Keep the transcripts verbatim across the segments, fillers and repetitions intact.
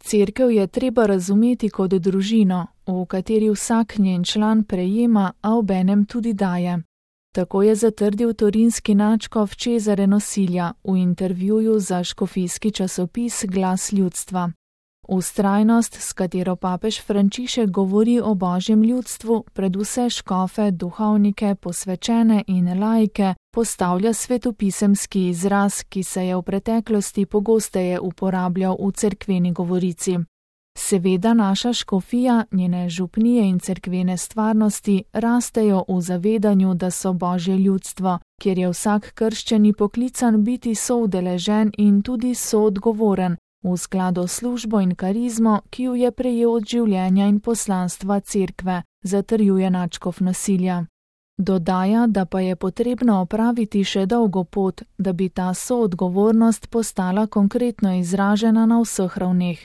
Cerkev je treba razumeti kot družino, v kateri vsak njen član prejema, a obenem tudi daje. Tako je zatrdil torinski nadškof Cesare Nosilja v intervjuju za škofijski časopis Glas ljudstva. Vztrajnost, s katero papež Frančišek govori o božjem ljudstvu, predvse škofe, duhovnike, posvečene in laike, postavlja svetopisemski izraz, ki se je v preteklosti pogosteje uporabljal v cerkveni govorici. Seveda naša škofija, njene župnije in cerkvene stvarnosti rastejo v zavedanju, da so božje ljudstvo, kjer je vsak krščani poklican biti soudeležen in tudi soodgovoren, v skladu s službo in karizmo, ki jo je prejel od življenja in poslanstva cerkve, zatrjuje nadškof Nosilja. Dodaja, da pa je potrebno opraviti še dolgo pot, da bi ta soodgovornost postala konkretno izražena na vseh ravneh.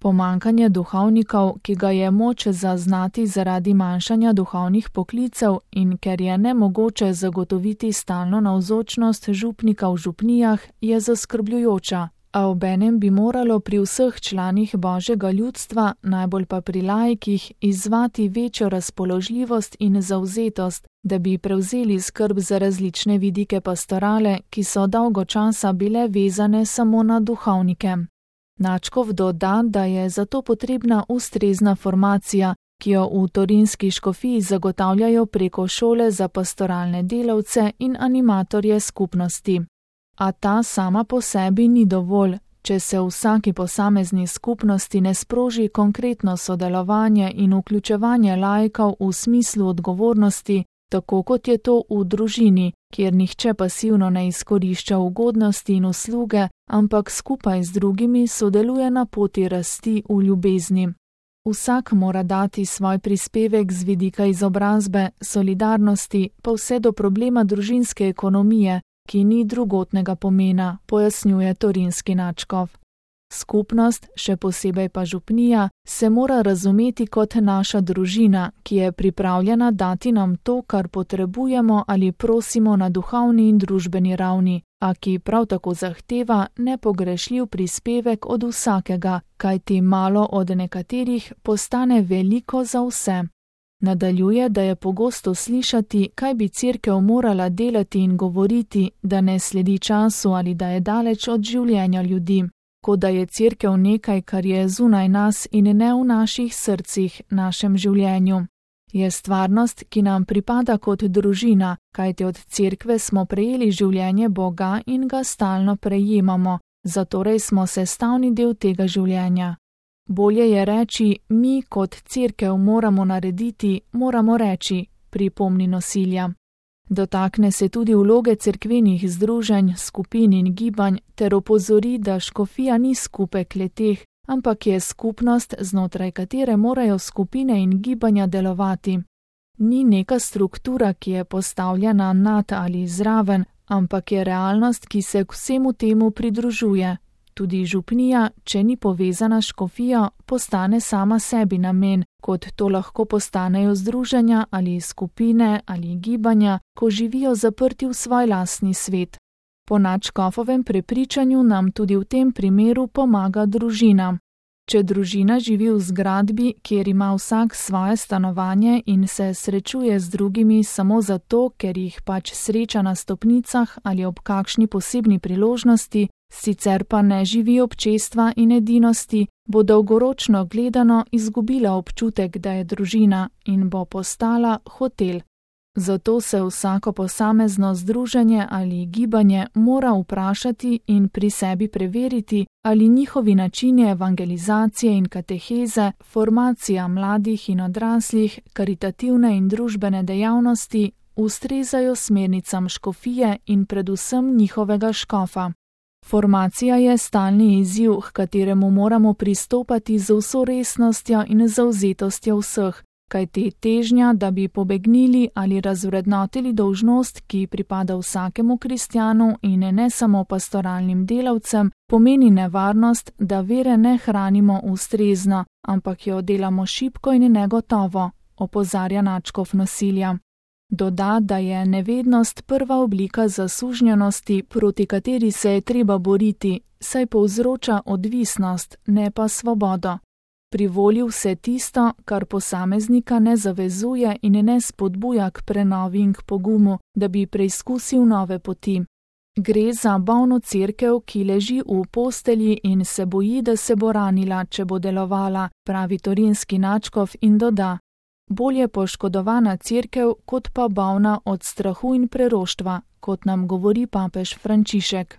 Pomanjkanje duhovnikov, ki ga je moč zaznati zaradi manjšanja duhovnih poklicev in ker je nemogoče zagotoviti stalno navzočnost župnika v župnijah, je zaskrbljujoča, a obenem bi moralo pri vseh članih božjega ljudstva, najbolj pa pri laikih, izzvati večjo razpoložljivost in zavzetost, da bi prevzeli skrb za različne vidike pastorale, ki so dolgo časa bile vezane samo na duhovnike. Nadškof doda, da je zato potrebna ustrezna formacija, ki jo v torinski škofiji zagotavljajo preko šole za pastoralne delavce in animatorje skupnosti. A ta sama po sebi ni dovolj, če se v vsaki posamezni skupnosti ne sproži konkretno sodelovanje in vključevanje laikov v smislu odgovornosti, tako kot je to v družini, kjer nihče pasivno ne izkorišča ugodnosti in usluge, ampak skupaj z drugimi sodeluje na poti rasti v ljubezni. Vsak mora dati svoj prispevek z vidika izobrazbe, solidarnosti, pa vse do problema družinske ekonomije, ki ni drugotnega pomena, pojasnjuje torinski nadškof. Skupnost, še posebej pa župnija, se mora razumeti kot naša družina, ki je pripravljena dati nam to, kar potrebujemo ali prosimo na duhovni in družbeni ravni, a ki prav tako zahteva nepogrešljiv prispevek od vsakega, kajti malo od nekaterih postane veliko za vse. Nadaljuje, da je pogosto slišati, kaj bi cerkev morala delati in govoriti, da ne sledi času ali da je daleč od življenja ljudi. Kot da je cerkev nekaj, kar je zunaj nas in ne v naših srcih, našem življenju. Je stvarnost, ki nam pripada kot družina, kajti od cerkve smo prejeli življenje Boga in ga stalno prejemamo, zatorej smo sestavni del tega življenja. Bolje je reči, mi kot cerkev moramo narediti, moramo reči, pripomni Nosilja. Dotakne se tudi vloge cerkvenih združenj, skupin in gibanj ter opozori, da škofija ni skupek le-teh, ampak je skupnost, znotraj katere morajo skupine in gibanja delovati. Ni neka struktura, ki je postavljena nad ali zraven, ampak je realnost, ki se k vsemu temu pridružuje. Tudi župnija, če ni povezana s škofijo, postane sama sebi namen, kot to lahko postanejo združenja ali skupine ali gibanja, ko živijo zaprti v svoj lastni svet. Po nadškofovem prepričanju nam tudi v tem primeru pomaga družina. Če družina živi v zgradbi, kjer ima vsak svoje stanovanje in se srečuje z drugimi samo zato, ker jih pač sreča na stopnicah ali ob kakšni posebni priložnosti, sicer pa ne živi občestva in edinosti, bo dolgoročno gledano izgubila občutek, da je družina in bo postala hotel. Zato se vsako posamezno združenje ali gibanje mora vprašati in pri sebi preveriti, ali njihovi načini evangelizacije in kateheze, formacija mladih in odraslih, karitativne in družbene dejavnosti ustrezajo smernicam škofije in predvsem njihovega škofa. Formacija je stalni izziv, h kateremu moramo pristopati z vso resnostjo in zavzetostjo vseh, kajti težnja, da bi pobegnili ali razvrednotili dolžnost, ki pripada vsakemu kristjanu in ne samo pastoralnim delavcem, pomeni nevarnost, da vere ne hranimo ustrezno, ampak jo delamo šibko in negotovo, opozarja nadškof Nosilja. Doda, da je nevednost prva oblika zasužnjenosti, proti kateri se je treba boriti, saj povzroča odvisnost, ne pa svobodo. Privoli vse tisto, kar posameznika ne zavezuje in ne spodbuja k prenovi in k pogumu, da bi preizkusil nove poti. Gre za bolno cerkev, ki leži v postelji in se boji, da se bo ranila, če bo delovala, pravi torinski nadškof in doda: bolje poškodovana cerkev, kot pa bolna od strahu in preroštva, kot nam govori papež Frančišek.